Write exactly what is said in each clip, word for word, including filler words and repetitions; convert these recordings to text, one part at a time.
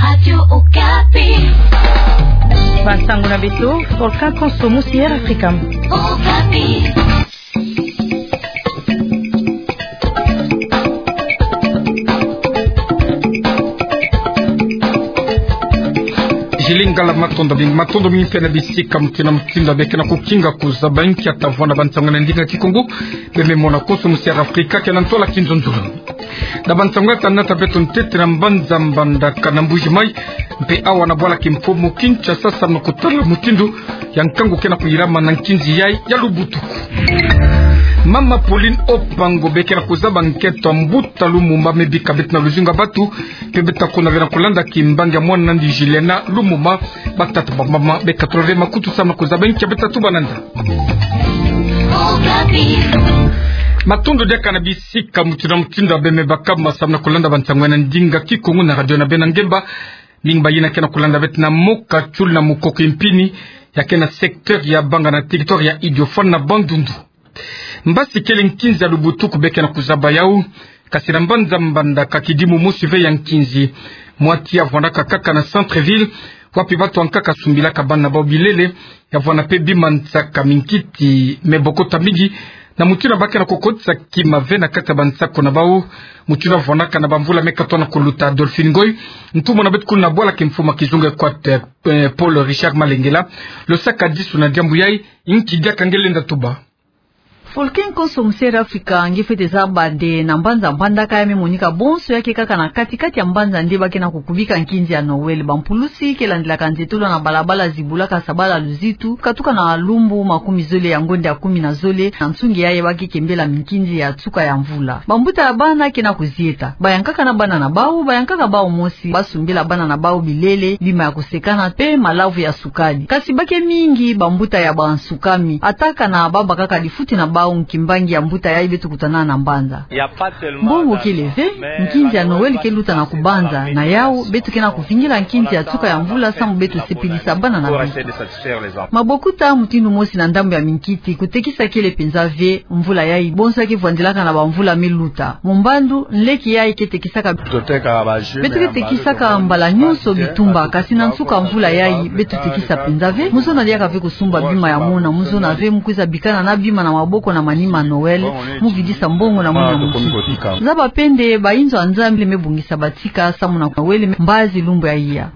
Radio Okapi. Bansango na beto, Volcan Konso mosi Air Africa. Okapi. Zilingala, matondo mingi, matondo mingi mpe na bisika mutindu na mutindu beke na kukinga kuzaba nkia tavwanda bansango na ndinga Kikongo, beme mona Konso mosi Air Africa, ke na ntwala kinzonzolo. Na bansango ya tanata beto ntete na mbanza Mbandaka na Mbuji-Mayi, mpe awa na bwala kimfumu Kinshasa, samu na kutala mutindu ya nkangu ke na kuyilama na nkinzi yayi ya Lubutuku. Mama Pauline Opango beke na kuzaba nkento ya mbuta Lumumba me bika beto na luzingu ya batu, mpe beto ta kuna ve na kulanda kimbangi ya mwana nandi Juliana Lumumba, batata bamama beka tula ve makutu samu na kuzaba nkia beto ta tuba nanda. Matondo diaka na bisika mutindu na mutindu ya beme baka masamu na kulanda bansango na ndinga Kikongo na radio na beno ya ngemba. Mingi ba yina ke na kulanda beto na mboka Tioula na Mukoko-Mpini, ya ke na secteur ya Banga na territoire ya Idiofa na Bandundu. Mbasi kele nkinzi ya Lubutuku beke na kuzaba yawu, kasi na mbanza Mbandaka kidimu mosi ve ya nkinzi. Mwa ti ya vwandaka kaka na centre-ville, wapi batu ya nkaka sumbilaka bana na bawu bilele, ya vwanda mpe bima nsaka minkiti me bokota mingi, na mutindu ba ke na kukotisa kima ve na kati ya bansako na bawu, mutindu ya vwandaka na bamvula me katono kuluta. Adolphine Ngoy, ntumwa na beto kuna na bwala kimfumu ya kizunga Equateur, eh, Paul Richard Malengela, lo saka disu na diambu yayi, nki diaka nge lenda tuba. Volcan Konso mosi Air Africa, nge fwete zaba nde na mbanza Mbandaka ya me monika bonso ya ke kaka na kati-kati ya mbanza nde ba ke na kukubika nkinzi ya Noël. Bampulusi ke landilaka nzietolo na balabala, zibulaka sabala luzitu, katuka na lumbu makumi zole ya ngonda ya kumi na zole, na nsungi yayi ba ke kembela minkinzi ya nsuka ya mvula. Bambuta ya bana ke na kuzieta. Ba yankaka na bana na bawu, ba yankaka bawu mosi, ba sumbila bana na bawu bilele, bima ya kusekana, mpe malavu ya sukali. Kasi ba ke mingi bambuta ya bansukami, ata kana ba bakaka difuti na bawu. Kimbangi ya mbuta yayi beto kutana na mbanza. Mbongo kele ve, nkinzi ya Noël ke luta na kubanza, na yawu, beto ke na kuvingila nkinzi ya nsuka ya mvula samu beto sepelisa bana na beto. Mabokota mutindu mosi na ndambu ya minkiti, kutekisa kele penza ve, mvula yayi, bonso ya ke vwandilaka na bamvula me luta. Mumbandu, nleke yayi ke tekisaka. Beto ke tekisaka mbala nyonso bitumba, kasi na nsuka mvula yayi, beto tekisa penza ve, mu zona diaka ve kusumba bima ya mona, mu zona ve mu kwiza bikana na bima na maboko na manima Noël, mu vidisa mbongo na mona munkiti. Zaba mpe nde, bayinzo ya Nzambi me bongisa batika, samu na Noël me mbazi lumbu ya iya.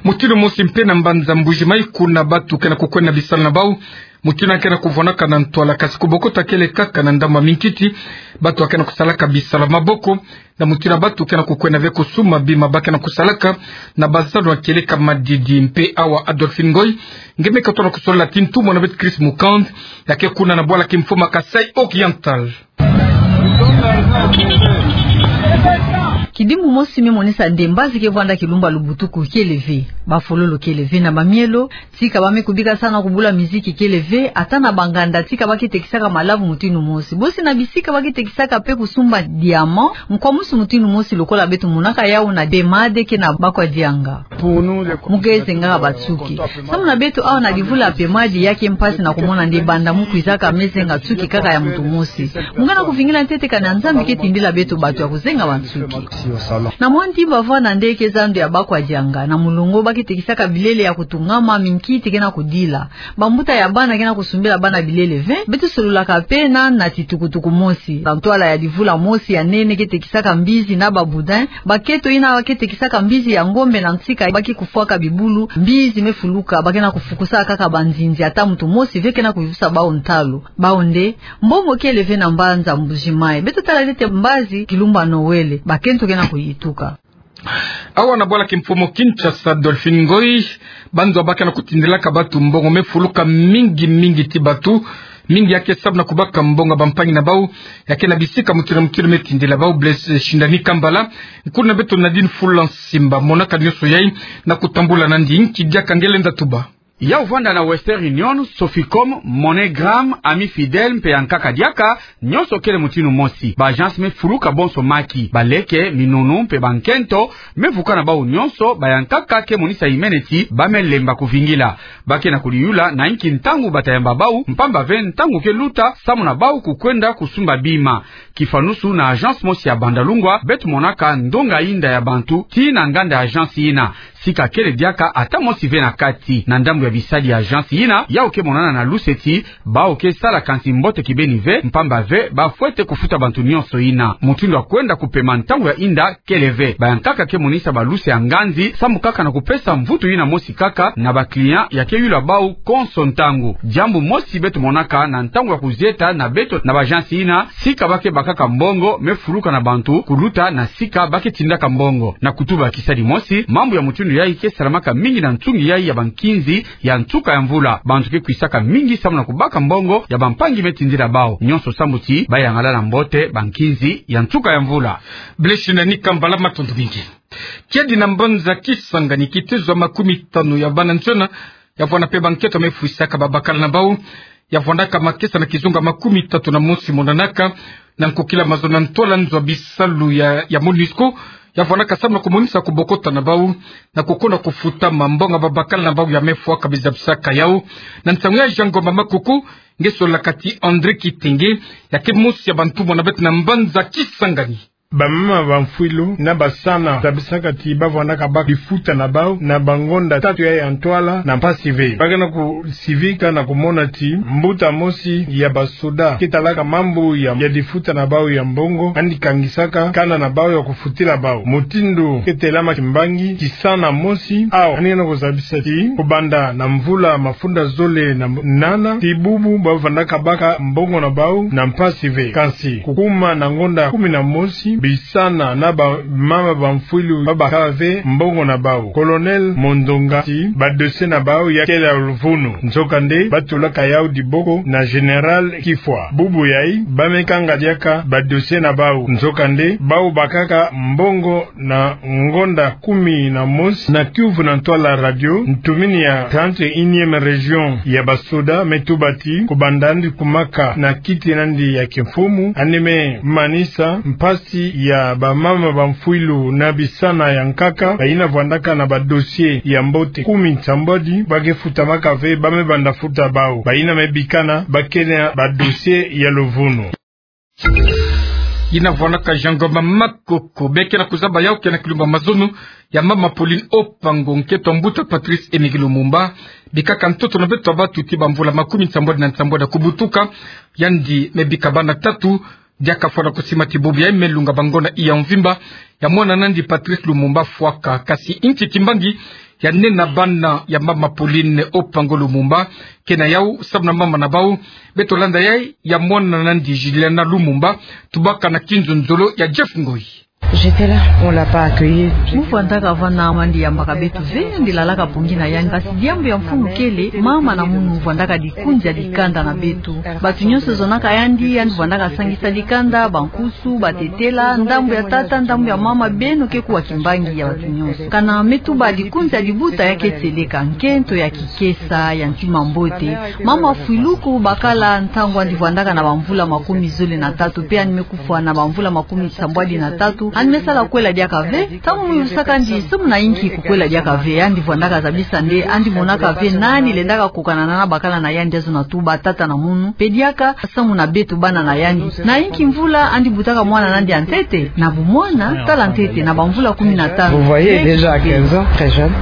Mutindu mosi mpe na mbanza Mbuji-Mayi, kuna batu ke na kukwenda bisalu na bawu, mutindu ya ke na kuvwandaka na ntwala, kasi kubokota kele kaka na ndambu ya minkiti, batu ya ke na kusalaka bisalu ya maboko, na mutindu ya batu ke na kukwenda ve kusumba bima ba ke na kusalaka na bazalu ya kieleka madidi. Mpe awa Adolphine Ngoy, nge me katono kusolola ti ntumwa na beto Chris Mukand, ya ke kuna na bwala kimfumu ya Kasaï Oriental. Kidimu mosi me monisa nde mbazi ke vwanda kilumbu ya Lubutuku kele ve, bafololo kele ve na bamielo, tika ba me kubika salu na kubula miziki kele ve, ata na banganda tika ba ke tekisaka malavu mutindu mosi. Bosi na bisika ba ke tekisaka mpe kusumba diamant, nkwa mosi mutindu mosi lokola beto monaka yawu na Pemade ke na Bakwadianga. Mu ke zengaka bansuki. Samu na beto awa na livula ya Pemade ya ke mpasi na kumona nde banda mu kwizaka me zenga nsuki kaka ya muntu mosi. Mu ke na kuvingila ntete kani ya Nzambi ke tindila beto batu ya kuzenga bansuki. Na mwa ntimba vwanda nde ke zandu ya Bakwadianga, na mulongo ba ke tekisaka bilele ya kutungama, minkiti ke na kudila. Bambuta ya bana ke na kusumbila bana bilele ve, beto sololaka mpe na, na titukutuku mosi. Na ntwala ya livula mosi ya nene ke tekisaka mbizi na ba boudin, bakento yina ke tekisaka mbizi ya ngombe na nsika ba ke kufwaka bibulu, mbizi me fuluka, ba ke na kufukusa kaka banzinzi, ata muntu mosi ve ke na kuyivusa bawu ntalu. Bawu nde, mbongo kele ve na mbanza Mbuji-Mayi. Beto tala ntete mbazi kilumbu ya Noël, bakento ke na kuyituka. Awa na bwala kimfumu Kinshasa, Adolphine Ngoy, banzo ba ke na kutindilaka batu mbongo me fuluka mingi mingi ti batu mingi ya ke sabu na kubaka mbongo ya bampangi na bawu, ya ke na bisika mutindu na mutindu me tindila bawu. Blaise Shindani Kambala, nkulu na beto Nadine Fula Nsimba, monaka nyonso yayi na kutambula nandi. Nki diaka nge lenda tuba. Ya uvwanda na Western Union, Soficom, MoneyGram, Ami Fidèle mpe ya nkaka diaka, nyonso kele mutindu mosi. Ba agence me fuluka bonso maki, baleke, minunu mpe bankento, me vuka na bau nyonso, ba ya nkaka ke monisa imene ti ba me lemba kuvingila. Ba ke na kuliyula na inki ntangu bata yamba bau, mpamba ve ntangu ke luta, samu na bau kukwenda kusumba bima. Kifanusu na agence mosi ya Bandalungwa, beto monaka ndonga inda ya bantu, tii na nganda ya agence ina. Sika kele diaka ata mosi ve na kati. Na ndambu ya bisadi ya agence ina, yau ke monana na luse ti, bau ke sala kansi mbote kibeni ve, mpamba ve, ba fwete kufuta bantu nyonso ina. Mutindu ya kwenda kupema ntangu ya inda, kele ve. Ba ya nkaka ke monisa ba luse ya nganzi, samu kaka na kupesa mvutu ina mosi kaka, na ba client ya ke yula bau konso ntangu. Diambu mosi beto monaka na ntangu ya kuzieta na beto na ba agence ina, sika ba ke bakaka mbongo, me fuluka na bantu, kuluta na sika ba ke tindaka mbongo. Na kutuba kisadi mosi, mambu ya mutindu yai ke salamaka mingi na nsungi yai ya bankinzi ya nsuka ya mvula. Bantu ke kwisaka mingi samu na kubaka mbongo ya bampangi me tindila bau. Nyonso samu ti, ba yangala na mbote bankinzi ya nsuka ya mvula. Blessing Nika Mbala, matondo mingi. Kiadi na mbanza Kisangani, kitezo ya makumi tanu ya bana nsiona, ya vwanda mpe bankento me fwisaka babakala na bau, ya vwandaka makesa na kizunga makumi tatu na mosi monanaka, na nkokila mazono na ntwala nzo ya bisalu ya, ya MONUSCO, ya vwandaka samu na kumonisa kubokota na bau, na kukonda kufuta mambongo ya babakala na bau ya me fwaka bizabisaka yau. Na nsangu ya Jean Ngomba Makoko, nge solaka ti André Kitenge, ya ke mosi ya bantumwa na beto na mbanza Kisangani. Bamama bamfwilu na basana zabisaka ti ba vwandaka baka bifuta na bau na bangonda tatu ya ya ntwala na mpasi ve. Ba ke na kusivika na kumona ti mbuta mosi ya basoda ke talaka mambu ya, ya difuta na bau ya mbongo, yandi kangisaka kanda na bau ya kufutila bau. Mutindu ke telama kimbangi, kisana mosi, au, yandi ke na kuzabisa ti kubanda na mvula mafunda zole na nana, ti bubu ba vwandaka baka mbongo na bau na mpasi ve. Kansi, kukuma na ngonda kumi na mosi, bisana na bamama bamfwilu ba bakaka ve mbongo na bau. Colonel Mondonga ti ba dossier na bau ya kele ya luvunu. Nzokande, ba tulaka yau diboko na Général Kifwa. Bubu yai, ba me kanga diaka ba dossier na bau. Nzokande, bau bakaka mbongo na ngonda kumi na mosi na kiuvu na ntwala radio, ntumini ya trente et unième région ya basoda me tuba ti, kubanda yandi kumaka na kiti na yandi ya kimfumu, yandi me manisa mpasi ya bamama bamfwilu na bisana ya nkaka, bayina vwandaka na ba dossier ya mbote kumi nsambwadi, ba ke futamaka ve, ba me banda futa bau. Bayina me bikana, ba kele na ba dossier ya luvunu. Yina vwandaka Jean Ngomba Makoko. Beke na kuzaba yau ke na kilumba mazono ya mama Pauline Opango, nkento a mbuta Patrice Émile Lumumba. Bikaka ntoto na beto ya batu ti bamvula makumi nsambwadi na nsambwadi ya kubutuka. Yandi me bika bana tatu, diaka fwana kusima ti bubu yai me lunga bangonda iya mvimba ya mwana na yandi Patrice Lumumba fwaka. Kasi inki kimbangi ya nene na bana ya mama Pauline Opango Lumumba ke na yau, samu na mama na bau? Beto landa yai ya mwana na yandi Juliana Lumumba, tubaka na kinzonzolo ya Jeff Ngoi. J'étais là, on l'a pas accueilli. Mu vwandaka vana, mama yandi yambaka beto ve, yandi lalaka mpongi na yandi. Kasi diambu ya mfunu kele, mama na munu vwandaka dikunzi ya dikanda na beto. Batu nyonso zonaka yandi, yandi vwandaka sangisa dikanda, bankusu, batetela, ndambu ya tata, ndambu ya mama, beno ke kuwa kimbangi ya batu nyonso. Kana me tuba dikunzi ya dibuta ya ke tieleka, nkento ya kikesa, ya ntima mbote. Mama Fwiluku bakala ntangu yandi vwandaka na bamvula makumi zole na tatu, mpe yandi me kufwa na bamvula makumi nsambwadi na tatu, yandi me sala kwela diaka ve. Ntangu mu yusaka yandi samu na inki kukwela diaka ve, yandi vwandaka zabisa nde yandi monaka ve nani lendaka kokana na bakala na yandi, azo na tuba tata na munu, mpe diaka samu na beto bana na yandi. Na inki mvula yandi butaka mwana na yandi ya ntete? Na bumwana, tala ntete, na bamvula kumi na tano. Vous voyez, déjà à quinze ans, très jeune.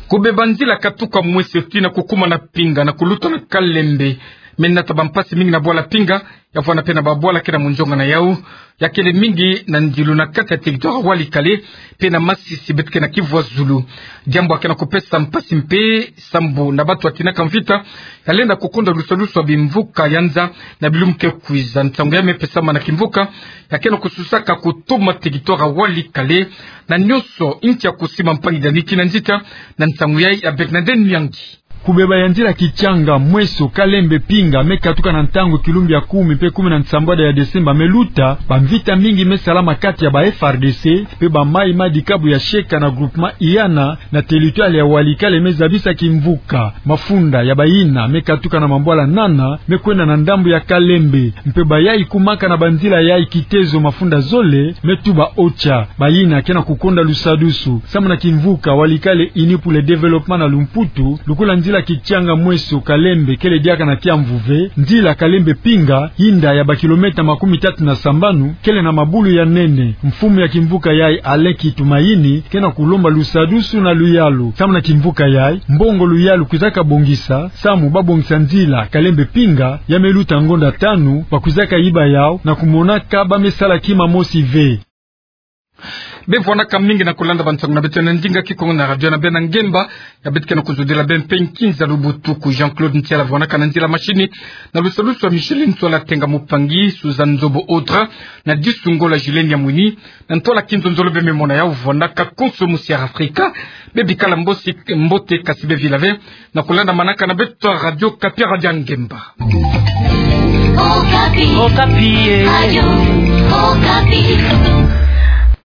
Kubeba nzila katuka mwese tii na kukuma na Pinga na kuluta na Kalembe me nata bampasi mingi na bwala Pinga, ya vwanda mpe na babwala ke na munzonga na yau, ya kele mingi na ndilu na kati ya territoire Walikale mpe na Masisi, beto ke na Kivu ya Zulu. Diambu ya ke na kupesa mpasi mpe sambu na batu ya tinaka mvita ya lenda kukonda lusalusu ya bimvuka ya nza na bilumbu ke kwiza. Nsangu ya me pesama na kimvuka ya ke na kususaka kutoma territoire Walikale na nyonso inki ya kusima mpangi dani ki na nzita na nsangu yai ya Bernadette Nyangi. Kubeba ya nzila Kitchanga, Mweso, Kalembe, Pinga me katuka na ntangu kilumbu ya kumi mpe kumi na nsambwadi ya Desemba me luta, bamvita mingi me salama kati ya ba F A R D C mpe ba mayi ma dikabu ya Sheka na groupement Iana, na territoire ya Walikale me zabisa kimvuka. Mafunda ya bayina me katuka na mambwala nana me kwenda na ndambu ya Kalembe. Mpe bayayi kumaka na banzila yayi Kitezo, mafunda zole me tuba Ocha. Bayina ke na kukonda lusadusu samu na kimvuka Walikale Unis pour le Développement na lumputu, lukula nzila Kitchanga, Mweso, Kalembe kele diaka na kiamvuve. Nzila Kalembe, Pinga, yinda ya ba kilomètre makumi tatu na sambanu, kele na mabulu ya nene. Mfumu ya kimvuka yayi, Alain Kitumaini, ke na kulomba lusadusu na luyalu samu na kimvuka yayi. Mbongo luyalu kwizaka bongisa samu babongisa nzila Kalembe, Pinga, ya me luta ngonda tanu, bakwizaka yiba yawu na kumonaka ba me sala kima mosi ve. Beno vwanaka mingi na kulanda bansangu na beto ya ndinga Kikongo na radio na beno na ngemba. Ya beto ke na kuzodila beno mpe nkinza lubutuku. Jean-Claude Ntiala vwanaka na nzila machine, na lusadusu ya Micheline Nsola, Tenga Mupangi, Suzanne Nzobo, Audra na Disu Ngola, Julien Nyamwini. Na ntwala Kinzonzolo beno me mona yawu, vwanaka konso musi ya Afrika. Beno bikala mbosi, mbote, kasi beno vila ve na kulanda manaka na beto Radio Okapi, radio ya ngemba. Okapi. Okapi, eh. Radio Okapi.